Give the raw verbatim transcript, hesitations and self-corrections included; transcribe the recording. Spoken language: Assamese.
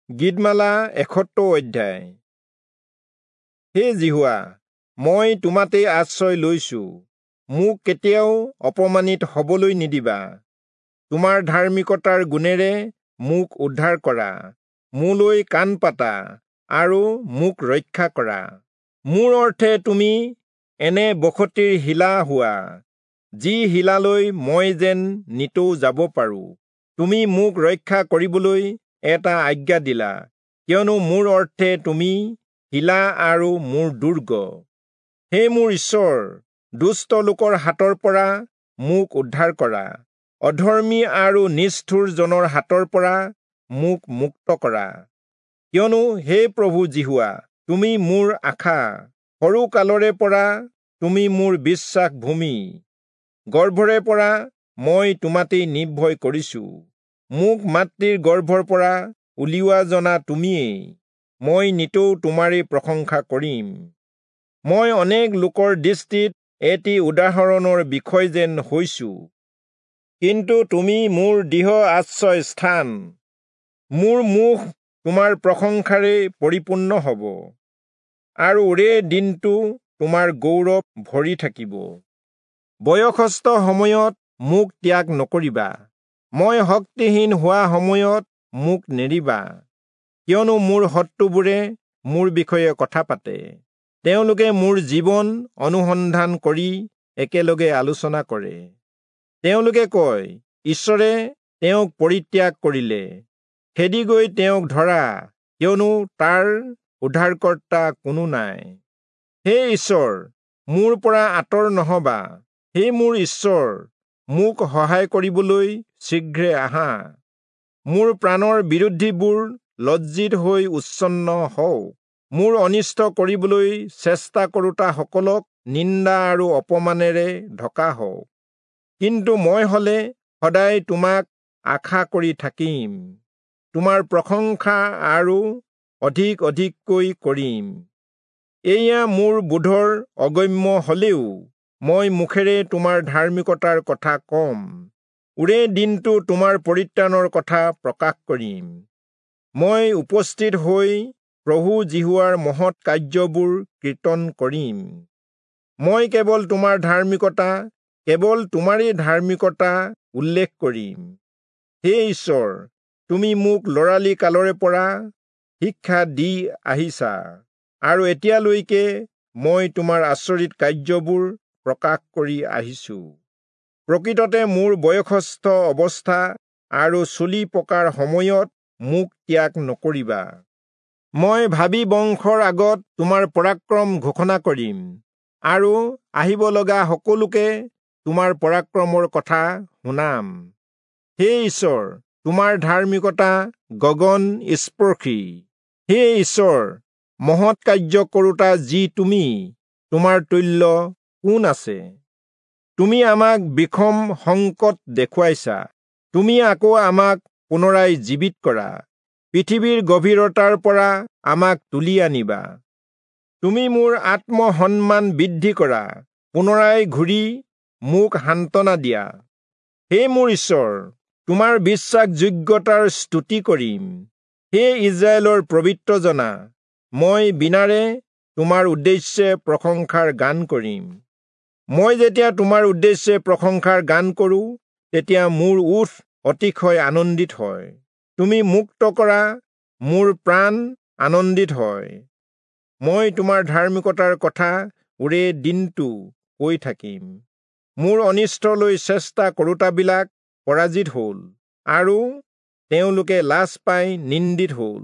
গীতমালা এসত্তৰ অধ্যায়। হে যিহোৱা, মই তোমাতেই আশ্ৰয় লৈছো, মোক কেতিয়াও অপমানিত হবলৈ নিদিবা। তোমাৰ ধাৰ্মিকতাৰ গুণেৰে মোক উদ্ধাৰ কৰা, মোলৈ কাণ পাতা আৰু মোক ৰক্ষা কৰা। মোৰ অৰ্থে তুমি এনে বসতিৰ শিলা হোৱা, যি শিলালৈ মই যেন নিতৌ যাব পাৰো। তুমি মোক ৰক্ষা কৰিবলৈ এটা আজ্ঞা দিলা, কিয়নো মোৰ অৰ্থে তুমি শিলা আৰু মোৰ দুৰ্গ। হে মোৰ ঈশ্বৰ, দুষ্ট লোকৰ হাতৰ পৰা মোক উদ্ধাৰ কৰা, অধৰ্মী আৰু নিষ্ঠুৰ জনৰ হাতৰ পৰা মোক মুক্ত কৰা। কিয়নো হে প্ৰভু যিহোৱা, তুমি মোৰ আশা, সৰু কালৰে পৰা তুমি মোৰ বিশ্বাস ভূমি। গৰ্ভৰে পৰা মই তোমাতেই নিৰ্ভয় কৰিছো, মোক মাতৃৰ গৰ্ভৰ পৰা উলিওৱা জনা তুমিয়েই। মই নিতৌ তোমাৰেই প্ৰশংসা কৰিম। মই অনেক লোকৰ দৃষ্টিত এটি উদাহৰণৰ বিষয় যেন হৈছো, কিন্তু তুমি মোৰ দৃঢ় আশ্ৰয় স্থান। মোৰ মুখ তোমাৰ প্ৰশংসাৰে পৰিপূৰ্ণ হব, আৰু ওৰে দিনটো তোমাৰ গৌৰৱ ভৰি থাকিব। বয়সস্থ সময়ত মোক ত্যাগ নকৰিবা, মই শক্তিহীন হোৱা সময়ত মোক নেৰিবা। কিয়নো মোৰ শত্ৰুবোৰে মোৰ বিষয়ে কথা পাতে, তেওঁলোকে মোৰ জীৱন অনুসন্ধান কৰি একেলগে আলোচনা কৰে। তেওঁলোকে কয়, ঈশ্বৰে তেওঁক পৰিত্যাগ কৰিলে, খেদি গৈ তেওঁক ধৰা, কিয়নো তাৰ উদ্ধাৰকৰ্তা কোনো নাই। হে ঈশ্বৰ, মোৰ পৰা আঁতৰ নহবা, হে মোৰ ঈশ্বৰ, মোক সহায় কৰিবলৈ শীঘ্ৰে আহা। মোৰ প্ৰাণৰ বিৰোধীবোৰ লজ্জিত হৈ উচ্ছন্ন হওক, মোৰ অনিষ্ট কৰিবলৈ চেষ্টা কৰোতাসকলক নিন্দা আৰু অপমানেৰে ঢকা হওক। কিন্তু মই হলে সদায় তোমাক আশা কৰি থাকিম, তোমাৰ প্ৰশংসা আৰু অধিক অধিককৈ কৰিম। এয়া মোৰ বোধৰ অগম্য হলেও মই মুখেৰে তোমাৰ ধাৰ্মিকতাৰ কথা কম, ওৰে দিনটো তোমাৰ পৰিত্ৰাণৰ কথা প্ৰকাশ কৰিম। মই উপস্থিত হৈ প্ৰভু যিহোৱাৰ মহৎ কাৰ্যবোৰ কীৰ্তন কৰিম। মই কেৱল তোমাৰ ধাৰ্মিকতা, কেৱল তোমাৰেই ধাৰ্মিকতা উল্লেখ কৰিম। হে ঈশ্বৰ, তুমি মোক ল'ৰালি কালৰে পৰা শিক্ষা দি আহিছা, আৰু এতিয়ালৈকে মই তোমাৰ আচৰিত কাৰ্যবোৰ প্ৰকাশ কৰি আহিছো। প্ৰকৃততে মোৰ বয়সস্থ অৱস্থা আৰু চুলি পকাৰ সময়ত মোক ত্যাগ নকৰিবা। মই ভাবি বংশৰ আগত তোমাৰ পৰাক্ৰম ঘোষণা কৰিম, আৰু আহিব লগা সকলোকে তোমাৰ পৰাক্ৰমৰ কথা শুনাম। হে ঈশ্বৰ, তোমাৰ ধাৰ্মিকতা গগন স্পৰ্শী। হে ঈশ্বৰ, মহৎ কাৰ্য কৰোতা যি তুমি, তোমাৰ তুল্য কোন আছে? তুমি আমাক বিষম সংকট দেখুৱাইছা, তুমি আকৌ আমাক পুনৰাই জীৱিত কৰা, পৃথিৱীৰ গভীৰতাৰ পৰা আমাক তুলি আনিবা। তুমি মোৰ আত্মসন্মান বৃদ্ধি কৰা, পুনৰাই ঘূৰি মোক সান্তনা দিয়া। হে মোৰ ঈশ্বৰ, তোমাৰ বিশ্বাসযোগ্যতাৰ স্তুতি কৰিম। হে ইজৰাইলৰ পবিত্ৰজনা, মই বীণাৰে তোমাৰ উদ্দেশ্যে প্ৰশংসাৰ গান কৰিম। মই যেতিয়া তোমাৰ উদ্দেশ্যে প্ৰশংসাৰ গান কৰোঁ, তেতিয়া মোৰ ওঁঠ অতিশয় আনন্দিত হয়। তুমি মুক্ত কৰা মোৰ প্ৰাণ আনন্দিত হয়। মই তোমাৰ ধাৰ্মিকতাৰ কথা ওৰে দিনটো কৈ থাকিম। মোৰ অনিষ্টলৈ চেষ্টা কৰোতাবিলাক পৰাজিত হ'ল, আৰু তেওঁলোকে লাজ পাই নিন্দিত হ'ল।